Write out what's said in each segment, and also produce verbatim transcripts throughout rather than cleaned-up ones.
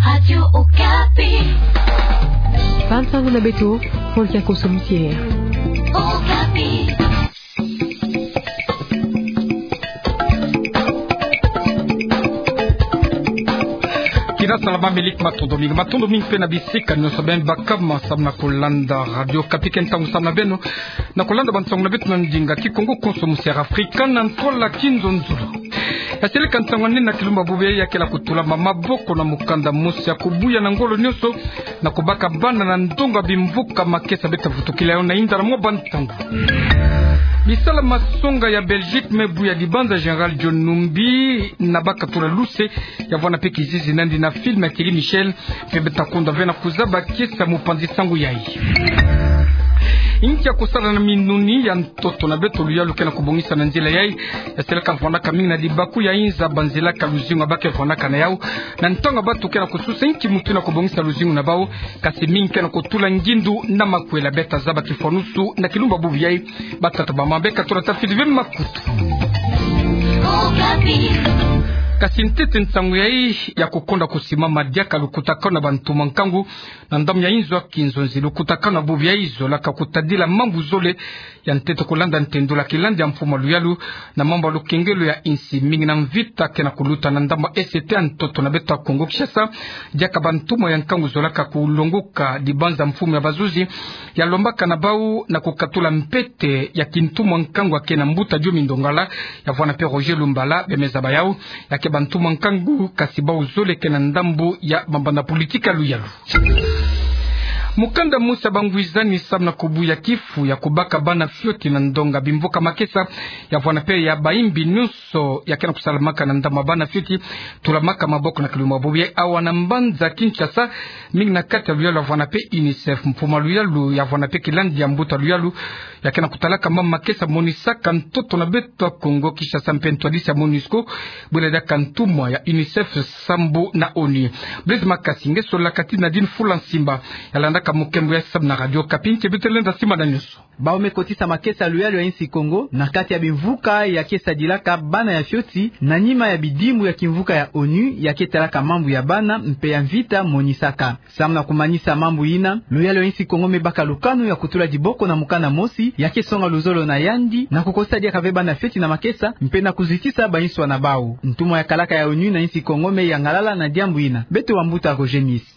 Radio Okapi. Bansango na beto, frontière koso mitière. Okapi. Kina salama, miliki matondo mingi, matondo mingi mpe na bisika nyonso beno baka ma samu na kolanda Radio Okapi. Ke ntangu samu na beno na kolanda bansango na beto na ndinga Kikongo koso mitière Afrika na ntwala kinzonzolo. Ya seleka nsangu nina kilumbu bubu yayi ya kela kutula maboko na mukanda mosi ya kubuya na ngolo nyonso na kubaka bana na ndonga bimvuka makesa beta vutukila yo na inda na mwa bantangu. Bisala masonga ya Belgique me buya dibanza Général John Numbi na baka tula luse ya vwanda mpe kizizi nandi na film ya Thierry Michel, mpe beta konda ve na kuzaba kiese ya mupanzi sango yayi. Inki ya kusala na minuni ya ntoto na beto luyalu ke na kubongisa na nzila yayi? Ya seleka vwandaka mingi na dibaku ya inza banzilaka luzingu ya bake vwandaka na yau. Na ntangu ya bato ke na kususa inki mutu na kubongisa luzingu na bau, kasi mingi ke na kutula ngindu na makwela. Beta zaba kifwanusu na kilumbu bubu yayi. Batata bamama, beka tula tafidi ve makutu. Kasi ntete nsangu yayi ya kukonda kusimama diaka lukutakanu na bantu mwa nkangu na ndambu ya inzo ya kinzonzi. Lukutakanu bubu yayi zolaka kutadila mambu zole ya ntete kulanda ntendula kilandi ya mfumu ya luyalu na mambu ya lukengelo ya insi. Mingi na mvita ke na kuluta na ndambu ya est ya ntoto na beto ya Kongo Kinshasa, diaka bantumwa ya nkangu zolaka kulonguka dibanza mfumu ya bazuzi ya lombaka na bau na kukatula mpete ya kintumwa nkangu ya ke na mbuta Diomi Ndongala, ya vwanda mpe Roger Lumbala, bemeza ba yau ya ke bantumwa nkangu, kasi bau zole ke na ndambu ya mabanda politika luyalu. Mukanda mosi ya bangwizani samu na kubuya kifu ya kubaka bana fioti na ndonga bimvuka makesa, ya vwanda mpe ya bayimbi nyonso ya ke na kusalamaka na ndambu ya bana fioti, tulamaka maboko na kilumbu bubu yayi awa na mbanza Kinshasa, mingi na kati ya luyalu ya vwanda mpe UNICEF. Mfumu ya luyalu ya vwanda mpe kilandi ya mbuta luyalu ya ke na kutalaka mambu makesa monisaka ntoto na beto ya Kongo Kinshasa mpe ntwadisi ya MONUSCO, bwela diaka ntumwa ya UNICEF sambu na ONU. Blaise Makasi nge solaka ti Nadine Fula Nsimba, ya landaka mukembo ya samu na Radio Okapi, nge beto lenda simba na nyonso. Bau me kotisa makesa luyalu ya insi Kongo na kati ya bimvuka ya ke sadilaka bana ya fioti, na nima ya bidimbu ya kimvuka ya ONU ya ke talaka mambu ya bana mpe ya mvita monisaka. Samu na kumanisa mambu yina, luyalu ya insi Kongo me baka lukanu ya kutula diboko na mukanda mosi ya ke songa luzolo na yandi na kukotisa diaka ve bana fioti na makesa, mpe na kuzitisa banswa na bau. Ntumwa ya kalaka ya ONU na insi Kongo me yangalala na diambu yina. Beto wa mbuta Roger Mis.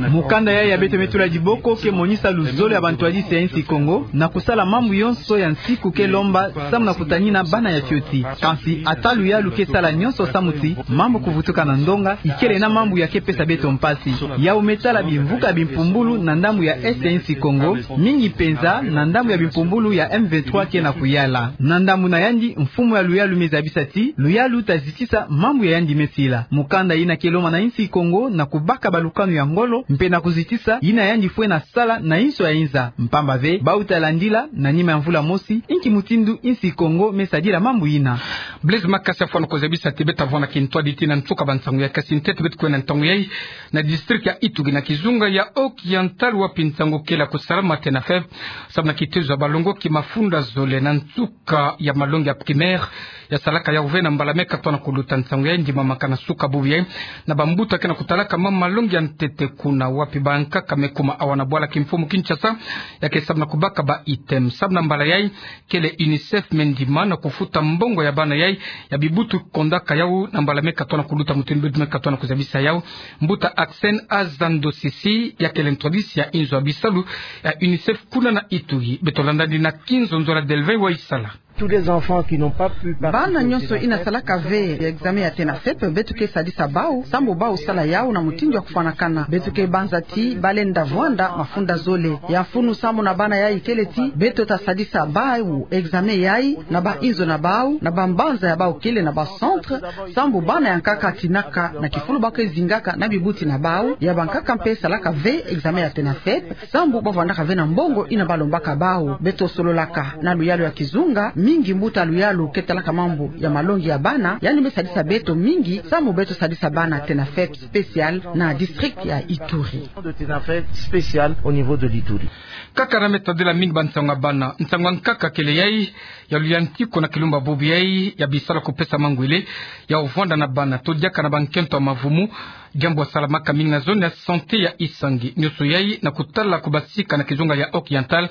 Mukanda yayi ya beto me tula diboko ke monisa luzolo ya bantwadisi ya insi Kongo na kusala mambu yonso ya nsiku ke lomba samu na kutanina bana ya fioti. Kansi ata luyalu ke sala nyonso samu ti mambu kuvutuka na ndonga ikele na mambu ya ke pesa beto mpasi. Yau me tala bimvuka bimpumbulu na ndambu ya est ya insi Kongo, mingi penza na ndambu ya bimpumbulu ya M vingt-trois ke na kuyala. Na ndambu na yandi, mfumu ya luyalu me zabisa ti luyalu ta zitisa mambu ya yandi me sila. Mukanda yina ke lomba na insi Kongo na kubaka balukanu ya ngolo mpe na kuzitisa yina yandi fwe na sala na inso ya inza, mpamba ve bau ta landila na nima ya mvula mosi inki mutindu insi Kongo me sadila mambu yina. Blaise Makasi, fwana ko zabisa ti beta vwanda kintwadi ti na nsuka bansangu ya kasi ntete beto kwe na ntangu yayi na district ya Ituri na kizunga ya Haut-Oriental, wapi nsangu kele kusalama TENAFEP samu na kitezo ya balongoki mafunda zole na nsuka ya malongi ya primaire ya salaka yau ve na mbala me katona kuluta. Nsangu yayi ndimamaka na suka bubu yayi na bambuta ke na kutalaka ma malongi ya ntete kuna, wapi bankaka me kuma awa na bwala kimfumu Kinshasa ya ke samu na kubaka ba item. Samu na mbala yayi kele UNICEF me ndima na kufuta mbongo ya bana yayi ya bibutu kondaka yau na mbala me katona kuluta, mutindu me katona kuzabisa yau mbuta Axen Azando Sisi, ya kele ntwadisi ya inzo ya bisalu ya UNICEF kuna na Ituri. Beto landa ndi na kinzonzolo ya Delvin Waisala. Tous les enfants qui n'ont pas pu participer au TENAFEP. Bana nyonso yina salaka ve ya examen ya TENAFEP, beto ke sadisa bau sambu bau sala yau na mutindu ya kufwanakana. Beto ke banza ti ba lenda vwanda mafunda zole ya mfunu samu na bana yayi kele ti beto ta sadisa bau examen yayi na ba inzo na bau, na bambanza ya bau kele na ba centre, sambu bana ya nkaka tinaka na kifulu ba ke zingaka na bibuti na bau, ya bankaka mpe salaka ve examen ya TENAFEP, sambu ba vwandaka ve na mbongo yina ba lombaka bau. Beto sololaka na luyalu ya kizunga, mingi mbuta luyalu ke talaka mambu ya malongi ya bana, yandi me sadisa beto mingi sambu beto sadisa bana TENAFEP spécial na district ya Ituri. De TENAFEP spécial au niveau de l'Ituri. Kaka na me tadila mingi bansangu ya bana, nsangu ya nkaka kele yayi ya luyantiku na kilumbu bubu yayi ya bisalu kupesa mangwele ya vwanda na bana to diaka na bankento ya mavumu Diambu ya salamaka mingi na zone ya santé ya Isangi, nionso yai na kutala kubasika na kizunga ya Oriental,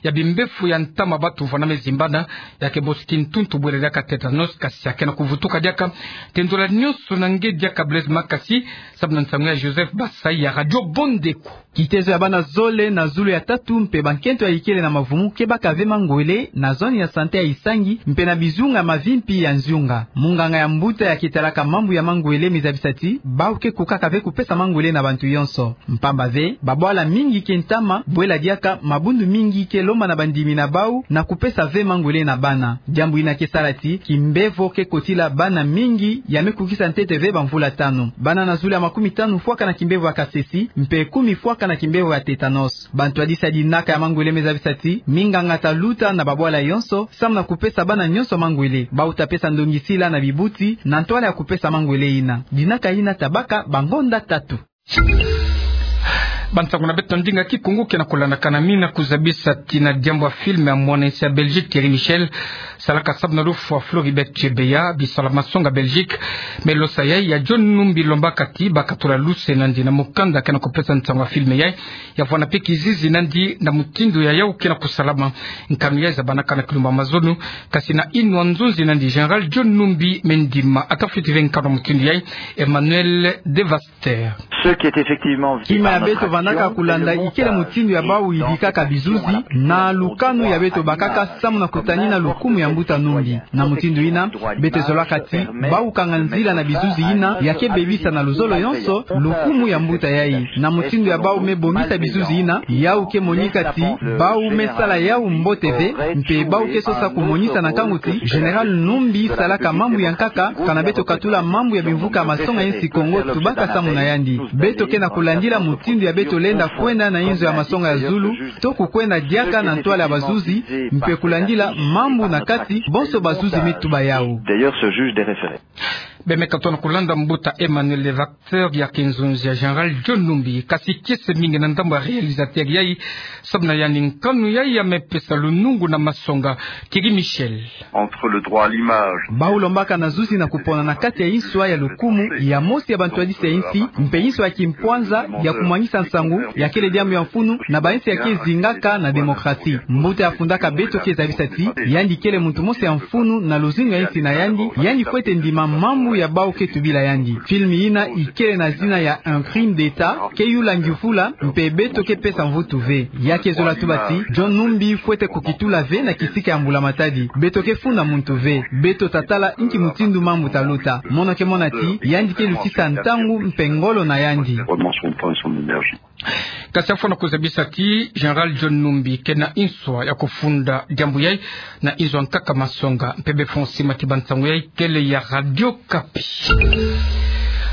ya bimbefu ya ntama batu vwanamezimbana, ya ke bosi kintuntu bwele diaka tétanos, kasi ya ke na kuvutuka diaka. Tendula nionso na nge diaka Blaise Makasi, samu na nsangu ya Joseph Basai ya Radio Bondeko. Kitezo ya bana zole na zulu ya tatu mpe bankento ya ikele na mavumu ke baka ve mangwele na zone ya santé ya Isangi mpe na bizunga mavimpi ya nziunga. Munganga ya mbuta ya ke talaka mambu ya mangwele me zabisa ti bau ke kukaka ve kupesa mangwele na bantu yonso. Mpamba ve, babwala mingi ke ntama, bwela diaka mabundu mingi ke lomba na bandimi na bau na kupesa ve mangwele na bana. Diambu ina ke sala ti kimbevo ke kotila bana mingi ya me kukisa ntete ve bamvula tanu. Bana na zulu ya makumi tanu fwaka na kimbevo ya kasesi, mpe kumi fwaka na kimbevo ya tétanos. Bantwadisa dinaka ya mangwele me zabisa ti minganga ta luta na babwala yonso, samu na kupesa bana nyonso mangwele. Bau ta pesa ndongisila na bibuti na ntwala ya kupesa mangwele ina. Dinaka ina ta baka bangonda tatu. Bansangu na beto na ndinga Kikongo ke na kulandakana, mi na kuzabisa ti na diambu ya film ya mwana-nsi ya Belgique Thierry Michel, salaka samu na lufwa Floribert Chebeya, bisala masonga Belgique, me losa yai ya John Numbi lombaka ti bakatula luse nandi na mukanda ke na kupesa nsangu ya film yai, ya vwanda mpe kizizi nandi na mutindu ya yau ke na kusalama. Nkanu yai zabanaka na kilumbu ya mazono, kasi na inwa nzonzi nandi Général John Numbi me ndima. Ata fweti ve nkanu ya mutindu yai, Emmanuel Devas. Kima ya beto vandaka kulanda ikele mutindu ya bau yidikaka bizuzi, na lukanu ya beto bakaka samu na kutanina lukumu ya mbuta Numbi. Na mutindu ina, beto zolaka ti bau kanga nzila na bizuzi ina ya ke bebisa na luzolo yonso lukumu ya mbuta yai. Na mutindu ya bau me bongisa bizuzi ina, yau ke monika ti bau me sala yau mbote ve, mpe bau ke sosa kumonisa na nkangu ti Général Numbi salaka mambu ya nkaka, kana beto katula mambu ya bimvuka masonga ya nsi Kongo tubaka samu na yandi. Beto ke na kulandila mutindu ya beto lenda kwenda na inzo ya masonga ya zulu, to kukwenda diaka na ntwala ya bazuzi, mpe kulandila mambu na kati bonso bazuzi me tuba yau. D'ailleurs, ce juge des référés. Beno me katuka na kulanda mbuta Emmanuel Levac, acteur ya ke nzonzi ya Général John Numbi, kasi kiese mingi na ndambu ya réalisateur yai, samu na yandi nkanu yai ya me pesa lunungu na masonga. Thierry Michel. Entre le droit à l'image. Bau lombaka na zuzi na kupona na kati ya inswa ya lukumu ya mosi ya bantwadisi ya insi, mpe inswa ya kimpwanza ya kumwangisa nsangu, ya kele diambu ya mfunu na bainsi ya ke zingaka na démocratie. Mbuta ya fundaka beto ke zabisa ti yandi kele muntu mosi ya mfunu na luzingu ya insi na yandi, yandi fwete ndima mambu ya bau ke tubila yandi. Film ina ikele na zina ya Un crime d'État, ke yula ngiufula, mpe beto ke pesa mvutu ve. Ya ke zola tuba ti John Numbi fwete kukitula ve na kisika ya mbula-matadi. Beto ke funda muntu ve. Beto ta tala inki mutindu mambu ta luta. Mono ke mona ti yandi ke lutisa ntangu mpe ngolo na yandi. Kasi ya fwana kuzabisa ti Général John Numbi ke na inswa ya kufunda diambu yai na inzo ya nkaka masonga. Mpe befo sima ti bansangu yai kele ya Radio Okapi.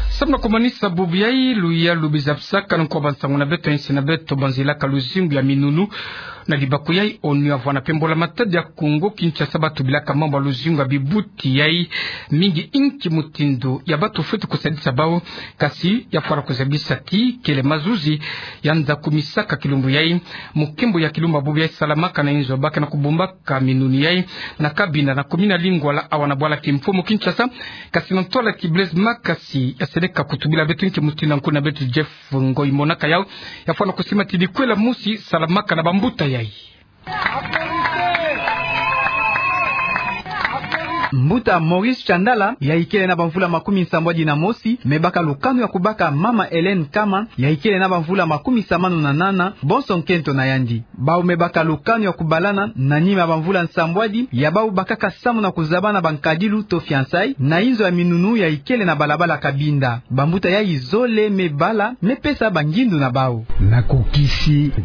Samu na kumanisa bubu yai, luyalu bizabisaka nkwa bansangu na beto, insi na beto banzilaka luzingu ya minunu. Na libaku yai, ONU ya vwana mpe mbula-matadi ya Kongo Kinshasa batubilaka mambu ya luzingu ya bibuti yai mingi, inki mutindu ya batu fwete kusadisa bau. Kasi ya fwana kuzabisa ti kele mazuzi ya nza kumisaka kilumbu yai, mu nkembo ya kilumbu ya bubu yai salamaka na inzo ba ke na kubumbaka minunu yai, na Kabinda, na commune ya Lingwala, awa na bwala Kimfumu Kinshasa. Kasi na ntwala ki Blaise Makasi ya seleka kutubila beto, inki mutindu nkuna beto Jeff Ngoyi monaka yau. Ya fwana kusima ti dikwela mosi salamaka na bambuta yai. Mbuta Maurice Chandala, ya ikele na bamvula makumi nsambwadi na mosi, me baka lukanu ya kubaka mama Hélène Nkama, ya ikele na bamvula makumi samanu na nana, bonso nkento na yandi. Bau me baka lukanu ya kubalana na nima ya bamvula nsambwadi ya bau bakaka samu na kuzabana bankadilu to fiançailles na inzo ya minunu ya ikele na balabala Kabinda. Bambuta yai zole me bala, me pesa bangindu na bau.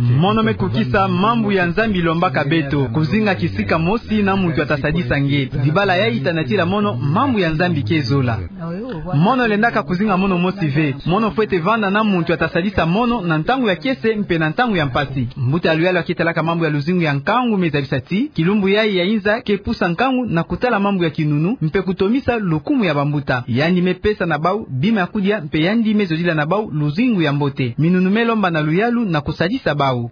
Mono me kukisa mambu ya Nzambi lombaka beto, kuzinga kisika mosi na muntu ya ta sadisa nge. Dibala yai ta natila mono mambu ya Nzambi ke zola. Mono lendaka kuzinga mono mosi ve. Mono fwete vanda na muntu ya ta sadisa mono na ntangu ya kiese mpe na ntangu ya mpasi. Mbuta ya luyalu ya ke talaka mambu ya luzingu ya nkangu me zabisa ti kilumbu yai ya inza ke pusa nkangu na kutala mambu ya kinunu mpe kutomisa lukumu ya bambuta. Yandi me pesa na bau bima ya kudia mpe yandi me zodila na bau luzingu ya mbote. Minunu me lomba na luyalu na kusadisa bau.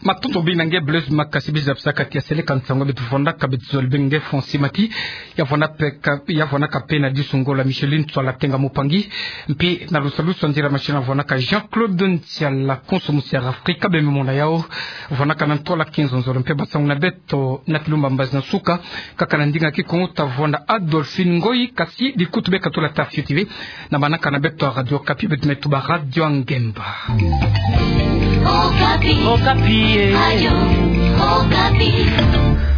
Matondo bina nge Blaise Makasi. Biza psaka tia seleka nsango beto vwandaka, beto zole benge Fonsi Mati. Ya vwandaka pe ka, ya vwandaka pe na disungo la Micheline Tswala Tenga Mupangi. Mpe na lusalusu nzila machine vwandaka Jean-Claude Ntiala, konso musi ya Afrika, bembe mona yao. Vwandaka na ntola kinzonzolo mpe basangu na beto na kilumba mbazi na suka. Kaka na ndinga Kikongo tavwanda Adolphine Ngoyi, kasi dikutu beka tula ta fioti ve na manaka na beto ya Radio Okapi, beto me tuba Radio Ngemba. Okapi. Okapi, eh. Radio Okapi.